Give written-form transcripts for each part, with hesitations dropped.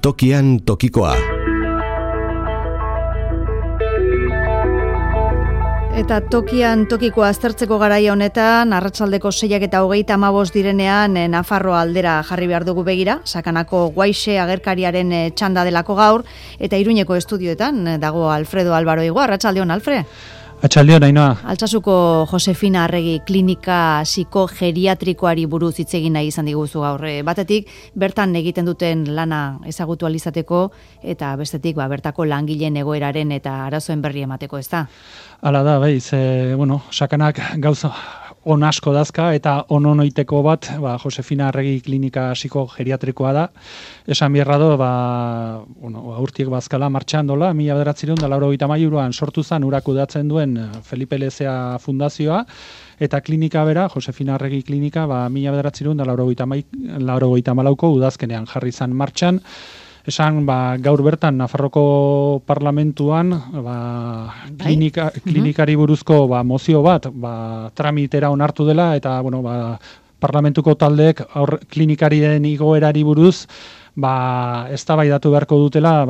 Tokian tokikoa. Eta tokian tokikoa aztertzeko garaia honetan, arratsaldeko 6:35 direnean Nafarroa aldera jarri behar dugu begira, Sakanako Guaixe agerkariaren txanda delako gaur, eta Iruñeko estudioetan dago Alfredo Álvaro Igo. Arratsaldeon, Alfred. Atxaldeon, Ainhoa. Altsasuko Josefina Arregi klinika psikogeriatrikoari buruz hitz egin nahi izan diguzu gaur. Batetik, bertan egiten duten lana ezagutu alizateko, eta bestetik, bertako langileen egoeraren eta arazoen berri emateko, ez da? Hala da, Sakanak gauza on asko dazka eta ononoiteko bat, Josefina Arregi klinika psikogeriatrikoa da. Esan bierra do, urtiek bazkala martxan dola, 1993an sortu zen uraku datzen duen Felipe Lezea fundazioa, eta klinika bera, Josefina Arregi klinika, 1994ko udazkenean jarri zen martxan. Esan, gaur bertan, Nafarroko parlamentuan, klinikari buruzko mozio bat, tramitera onartu dela, eta, parlamentuko taldeek klinikarien igoerari buruz, eztabaidatu beharko dutela,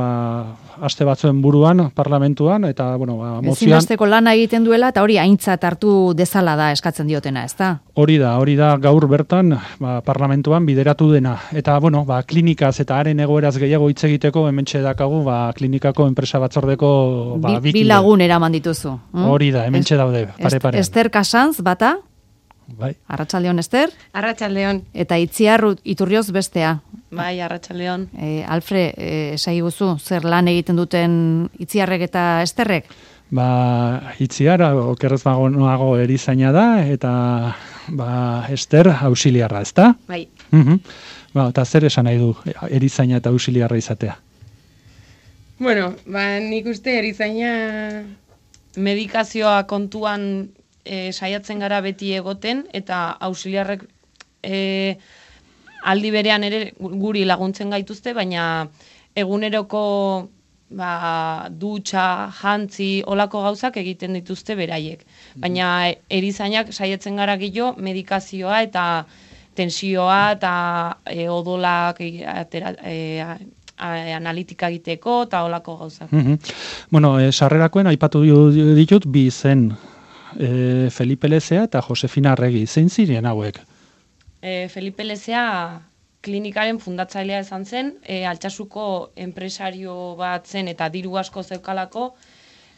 aste batzuen buruan, parlamentuan, eta, mozioan... Ezinbesteko lana egiten duela, eta hori aintzat hartu dezala da eskatzen diotena, ez da? Hori da gaur bertan, parlamentuan bideratu dena. Eta, klinikaz eta haren egoeraz gehiago hitz egiteko, hementxe dakagu, klinikako enpresa batzordeko... Bi lagun eraman dituzu. Hori da, hementxe daude, pare-parean. Ester Kasanz, bata? Bai. Arratsaldeon, Ester? Arratsaldeon. Eta Itziar Iturrioz bestea. Bai, arratsaldeon. Alfred, esaiguzu, zer lan egiten duten Itziarrek eta Esterrek? Itziar, okerrez nago erizaina da, eta Ester auxiliarra, ez da? Bai. Eta zer esan nahi du erizaina eta auxiliarra izatea? Bueno, nik uste erizaina medikazioa kontuan saiatzen gara beti egoten, eta auxiliarrek aldi berean ere guri laguntzen gaituzte, baina eguneroko dutxa, jantzi, olako gauzak egiten dituzte beraiek. Baina erizainak saiatzen gara gehiago medikazioa eta tensioa eta odolak analitika egiteko eta olako gauzak. Sarrerakoen aipatu ditut bi zen, Felipe Lezea eta Josefina Arregi. Zein ziren hauek? Felipe Lezea klinikaren fundatzailea izan zen, Altsasuko enpresario bat zen eta diru asko zeukalako,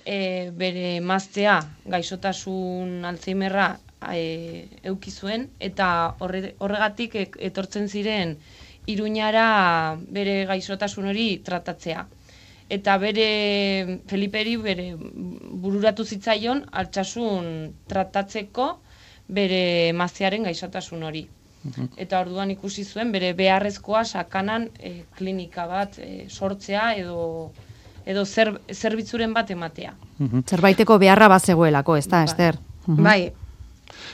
bere emaztea gaixotasun Alzheimerra eduki zuen, eta horregatik etortzen ziren Iruñara bere gaixotasun hori tratatzea. Eta Feliperi bururatu zitzaion Altsasun tratatzeko bere emaztearen gaixotasun hori. Eta orduan ikusi zuen bere beharrezkoa Sakanan klinika bat sortzea edo zerbitzuren bat ematea. Zerbaiteko beharra bazegoelako, ez da, Ester? Bai.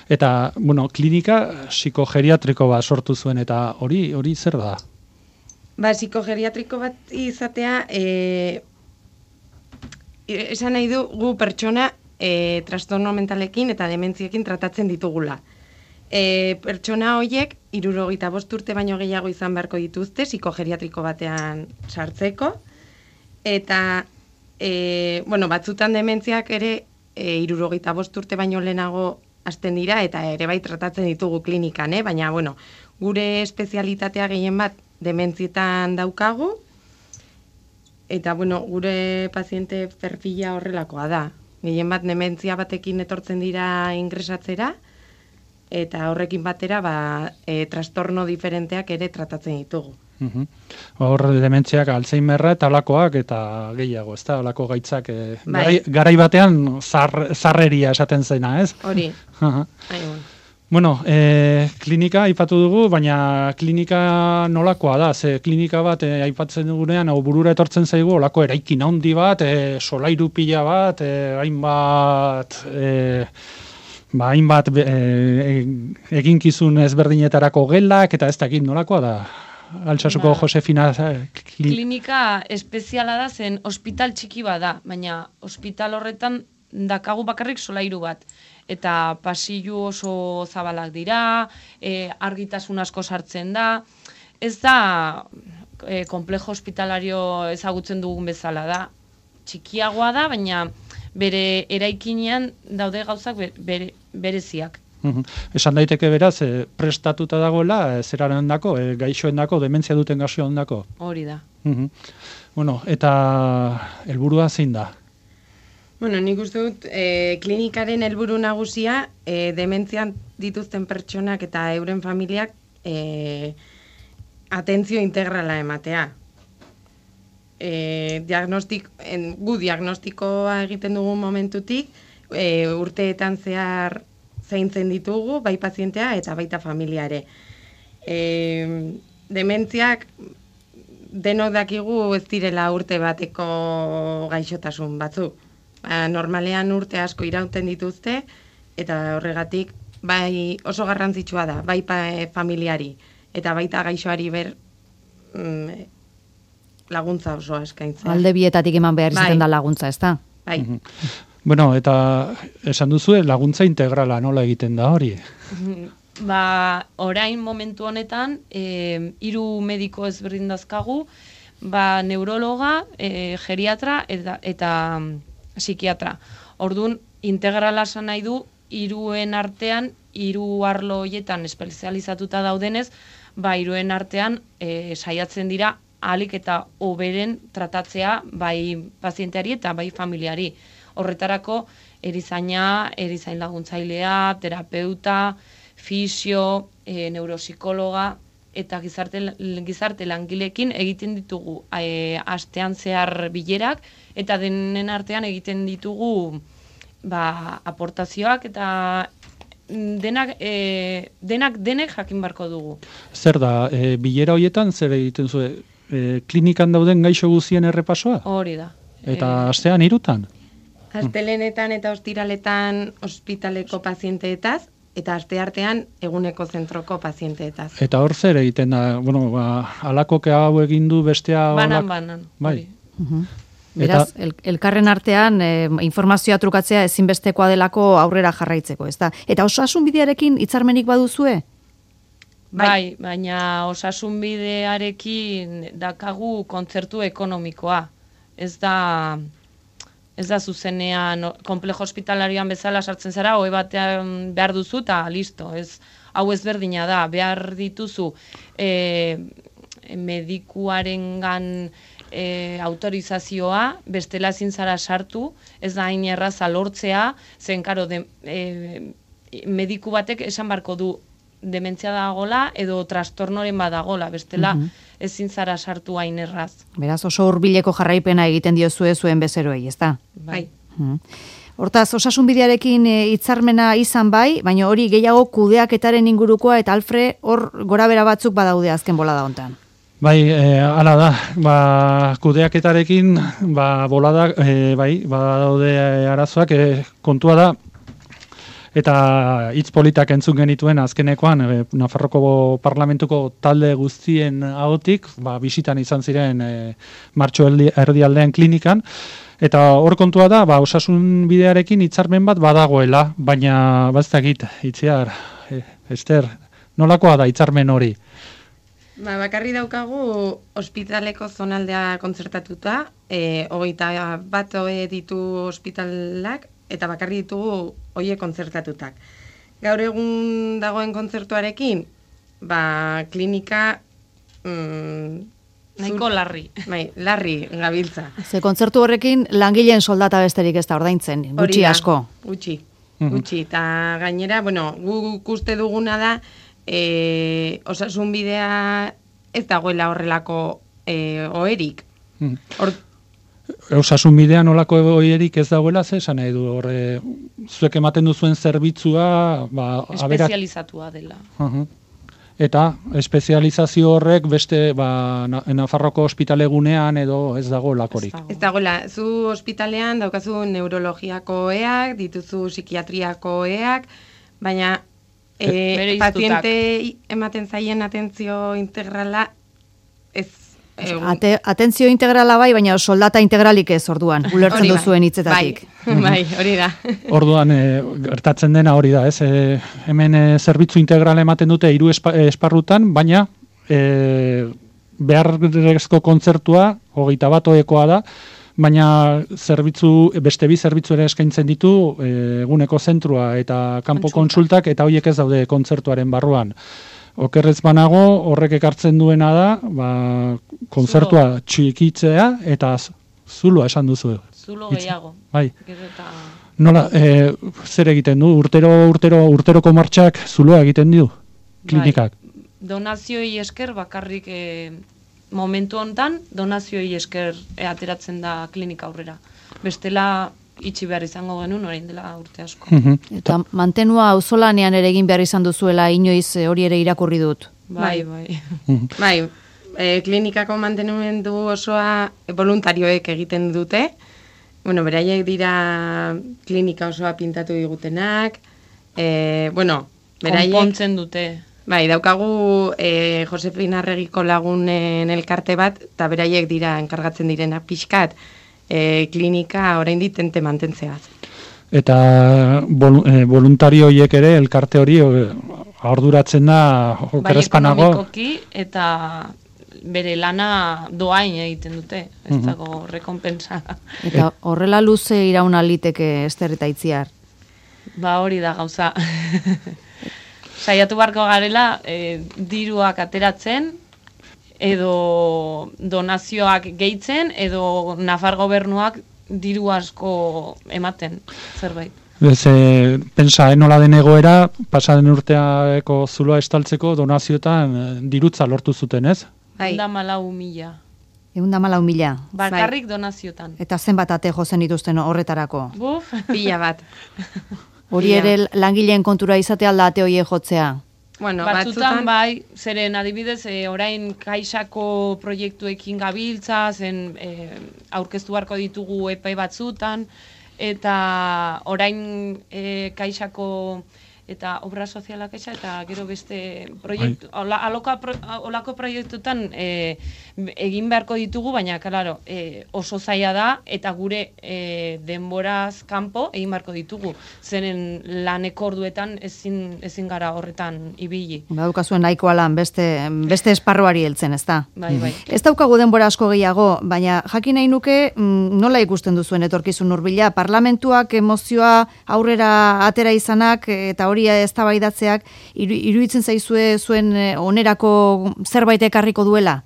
Eta, klinika psikogeriatriko bat sortu zuen, eta hori zer da? Psikogeriatriko bat izatea, esan nahi du gu pertsona trastorno mentalekin eta dementziekin tratatzen ditugula. Pertsona horiek 65 urte baino gehiago izan beharko dituzte psikogeriatriko batean sartzeko, eta batzutan dementziak ere 65 urte baino lehenago hasten dira, eta ere bai tratatzen ditugu klinikan, baina gure espezialitatea gehien bat dementzietan daukagu, eta gure paziente perfila horrelakoa da. Gehien bat dementzia batekin etortzen dira ingresatzera, eta horrekin batera trastorno diferenteak ere tratatzen ditugu. Hor dementziak Alzheimerra eta olakoak eta gehiago, ez da, olako gaitzak garai batean zarreria esaten zena, ez? Hori. Klinika aipatu dugu, baina klinika nolakoa da, ze klinika bat aipatzen dugunean, burura etortzen zaigu, olako eraikin handi bat, solairu pila bat, hainbat eginkizun ezberdinetarako gelak, eta ez dakit nolakoa da, Altsasuko Josefina klinika espeziala da, zen ospital txiki bada, baina ospital horretan dakagu bakarrik solairu bat. Eta pasillu oso zabalak dira, argitasun asko sartzen da. Ez da komplejo hospitalario ezagutzen dugun bezala da. Txikiagoa da, baina bere eraikinean daude gauzak bereziak. Esan daiteke beraz, prestatuta dagoela, zeraren dako, gaixoen dako, dementzia duten gaixoen dako. Hori da. Bueno, eta helburua zein da? Bueno, nik uste dut, klinikaren helburu nagusia, dementzian dituzten pertsonak eta euren familiak atentzio integrala ematea. Gu diagnostikoa egiten dugun momentutik, urteetan zehar zaintzen ditugu, bai pazientea eta baita familiare. Dementziak denok dakigu ez direla urte bateko gaixotasun batzuk. Normalean urte asko irauten dituzte, eta horregatik bai oso garrantzitsua da, bai familiari eta baita gaixoari laguntza osoa eskaintzea. Alde bietatik eman behar izaten da laguntza, ez da? Bai. Bueno, eta esan duzu, laguntza integrala nola egiten da hori? Orain momentu honetan, 3 mediko ezberdin dazkagu, neurologa, geriatra eta psikiatra. Orduan, integrala esan nahi du, 3 artean, 3 arlo horietan espezializatuta daudenez, 3 artean saiatzen dira ahalik eta hoberen tratatzea bai pazienteari eta bai familiari. Horretarako erizaina, erizain laguntzailea, terapeuta, fisio, neuropsikologa eta gizarte langileekin egiten ditugu astean zehar bilerak eta denen artean egiten ditugu aportazioak eta denek jakin barko dugu. Zer da, bilera horietan zer egiten zuen? Klinikan dauden gaixo guztien errepasoa? Hori da. Eta astean 3? Astelenetan eta ostiraletan ospitaleko pazienteetaz, eta asteartean eguneko zentroko pazienteetaz. Eta hor zer egiten da, alako hau egin du bestea... Banan. Bai. Beraz, elkarren artean informazioa trukatzea ezinbestekoa delako aurrera jarraitzeko, ez da? Eta osasun bidearekin hitzarmenik baduzue? Bai, baina osasun bidearekin dakagu kontzertu ekonomikoa. Ez da zuzenean komplejo hospitalarioan bezala sartzen zara, hoe batean behar duzu eta listo. Hau ezberdina da, behar dituzu medikuarengan autorizazioa, bestela ezin zara sartu, ez da hain erraza lortzea, zen karo mediku batek esan barko du dementzia dagola edo trastornoren badagola, bestela ezin zara sartu hain erraz. Beraz, oso hurbileko jarraipena egiten diozue zuen bezeroei, ez da? Bai. Hortaz, osasun bidearekin hitzarmena izan bai, baina hori gehiago kudeaketaren ingurukoa eta Alfre hor gorabera batzuk badaude azken bolada hontan. Bai, hala da, kudeaketarekin bolada, badaude arazoak, kontua da, eta hitz politak entzun genituen azkenekoan Nafarroko parlamentuko talde guztien ahotik, bisitan izan ziren martxo erdialdean klinikan, eta hor kontua da, osasun bidearekin hitzarmen bat badagoela, baina baztakit, Itziar, Ester, nolakoa da hitzarmen hori? Bakarri daukagu ospitaleko zonaldea kontzertatuta, 21 ditu ospitalak, eta bakarri ditugu hoiek kontzertatutak. Gaur egun dagoen kontzertuarekin, klinika nahiko larri. Bai, larri gabiltza. Ze kontzertu horrekin langileen soldata besterik ez da ordaintzen, gutxi asko. Gutxi, eta gainera, guk uste duguna da, osasun bidea ez dagoela horrelako oherik. Osasun bidean olako oherik ez dagoela, esan nahi du, zuek ematen duzuen zerbitzua... espezializatua dela. Eta espezializazio horrek beste Nafarroko ospitalegunean edo ez dago lakorik. Ez dagoela, zu ospitalean daukazu neurologiako oheak, dituzu psikiatriako oheak, baina paziente ematen zaien atentzio integrala ez... Atentzio integrala bai, baina soldata integralik ez orduan, ulertzen duzuen hitzetatik. Bai, hori da. Orduan, gertatzen dena hori da, ez? Hemen zerbitzu integrala ematen dute 3 esparrutan, baina beharrezko kontzertua, 21 oekoa da, baina beste bi zerbitzu ere eskaintzen ditu, eguneko zentrua eta kanpo kontsultak, eta horiek ez daude kontzertuaren barruan. Okerrez banago, horrek ekartzen duena da, kontzertua txikitzea, eta zuloa esan duzu. Zulo gehiago. Bai. Nola, zer egiten du? Urteroko martxak zuloa egiten du? Klinikak? Donazioi esker bakarrik momentu hontan donazioei esker ateratzen da klinika aurrera. Bestela itxi behar izango genuen orain dela urte asko. Eta mantenua auzolanean ere egin behar izan duzuela inoiz hori ere irakurri dut. Bai. Bai, klinikako mantenumendu osoa voluntarioek egiten dute. Bueno, beraiek dira klinika osoa pintatu digutenak. Beraiek konpontzen dute. Bai, daukagu Josefina Arregiko lagunen elkarte bat, eta beraiek dira enkargatzen direnak pixkat, klinika oraindik tente mantentzea. Eta voluntarioiek ere elkarte hori arduratzen da okerrezpanago. Bai, ekonomikoki eta bere lana doain egiten dute, ez dago rekompensa. Eta horrela luze irauna liteke Ester eta Itziar. Hori da gauza. Saiatu barko garela, diruak ateratzen, edo donazioak gehitzen, edo Nafar gobernuak diru asko ematen, zerbait. Pensa, nola den egoera, pasaden urteako zuloa estaltzeko donazioetan dirutza lortu zuten, ez? 104.000. 104.000. Bakarrik donazioetan. Eta zenbat ate jozen dituzten horretarako? Buf, pila bat. Hori ere langileen kontura izate alda ate hoie jotzea. Bueno, batzutan bai, zeren adibidez, orain kaixako proiektuekin gabiltza, zen aurkeztu beharko ditugu epai batzutan, eta orain kaixako eta obra sozialak eta gero beste proiektu, olako proiektutan egin beharko ditugu, baina, claro, oso zaila da, eta gure denboraz kanpo egin beharko ditugu. Zeren laneko orduetan ezin gara horretan ibili. Daukazuen nahikoa lan beste esparruari heltzen, ez da? Bai. Ez daukagu denbora asko gehiago, baina jakin nahi nuke nola ikusten duzuen etorkizun hurbila, parlamentuak emozioa aurrera atera izanak eta hori eztabaidatzeak iruditzen zaizue zuen onerako zerbait ekarriko duela?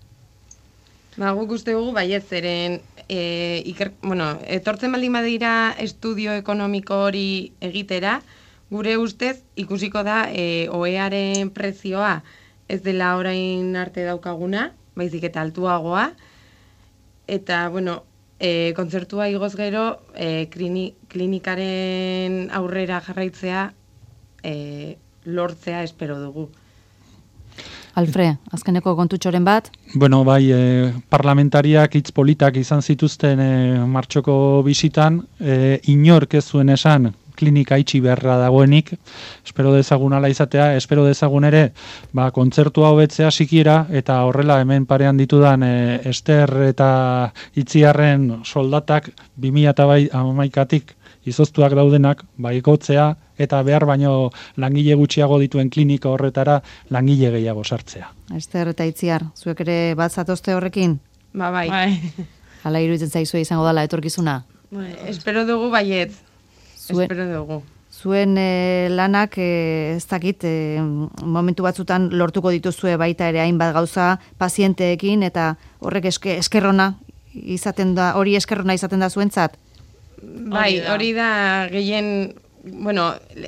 Guk uste dugu baiet zeren etortzen baldin badira estudio ekonomiko hori egitera, gure ustez ikusiko da OEaren prezioa ez dela orain arte daukaguna, baizik eta altuagoa, eta kontzertua igoz gero klinikaren aurrera jarraitzea lortzea espero dugu. Alfre, azkeneko kontutxoren bat? Bueno, bai, parlamentariak hitz politak izan zituzten martxoko bisitan, inork ez zuen esan klinika itxi beharra dagoenik, espero dezagun ala izatea, espero dezagun ere, kontzertua hobetzea sikiera, eta horrela hemen parean ditudan Ester eta Itziarren soldatak 2011tik izoztuak daudenak, ikotzea, eta behar baino langile gutxiago dituen klinika horretara langile gehiago sartzea. Ester eta Itziar, zuek ere bat zatozte horrekin? Bai. Hala iruditzen zaizue izango dela etorkizuna? Espero dugu baiet. Espero dugu. Zuen lanak ez dakit momentu batzutan lortuko dituzue baita ere hainbat gauza pazienteekin eta horrek eskerrona izaten da, hori eskerrona izaten da zuentzat? Bai, hori da gehien,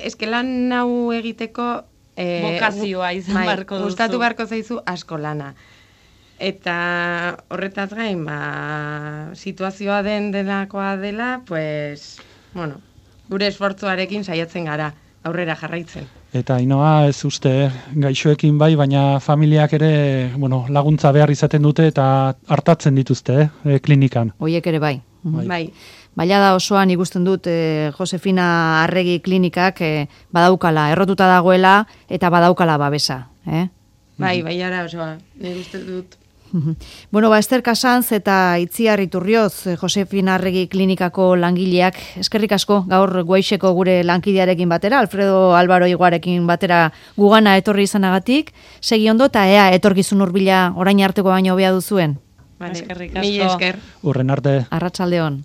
eske lan hau egiteko bokazioa izan barko duzu. Gustatu barko zaizu asko lana. Eta horretaz gain, situazioa delakoa dela, gure esfortzuarekin saiatzen gara aurrera jarraitzen. Eta Ainoa ez uste gaixoekin bai, baina familiak ere laguntza behar izaten dute eta hartatzen dituzte klinikan. Hoiek ere bai. Bai. Baila da osoan ikusten dut Josefina Arregi klinikak badaukala, errotuta dagoela eta badaukala babesa. Bai, baiara osoa, nire uste dut. Bueno, Ester Casanz eta Itziar Iturrioz, Josefina Arregi klinikako langileak, eskerrik asko gaur Guaixeko gure lankidearekin batera, Alfredo Álvaro Iguarekin batera gugana etorri izanagatik, segi ondo eta ea etorkizun hurbila orain arteko baino hobea duzuen. Vale, Eskerrik mila asko. esker. Urren arte. Arratsaldeon.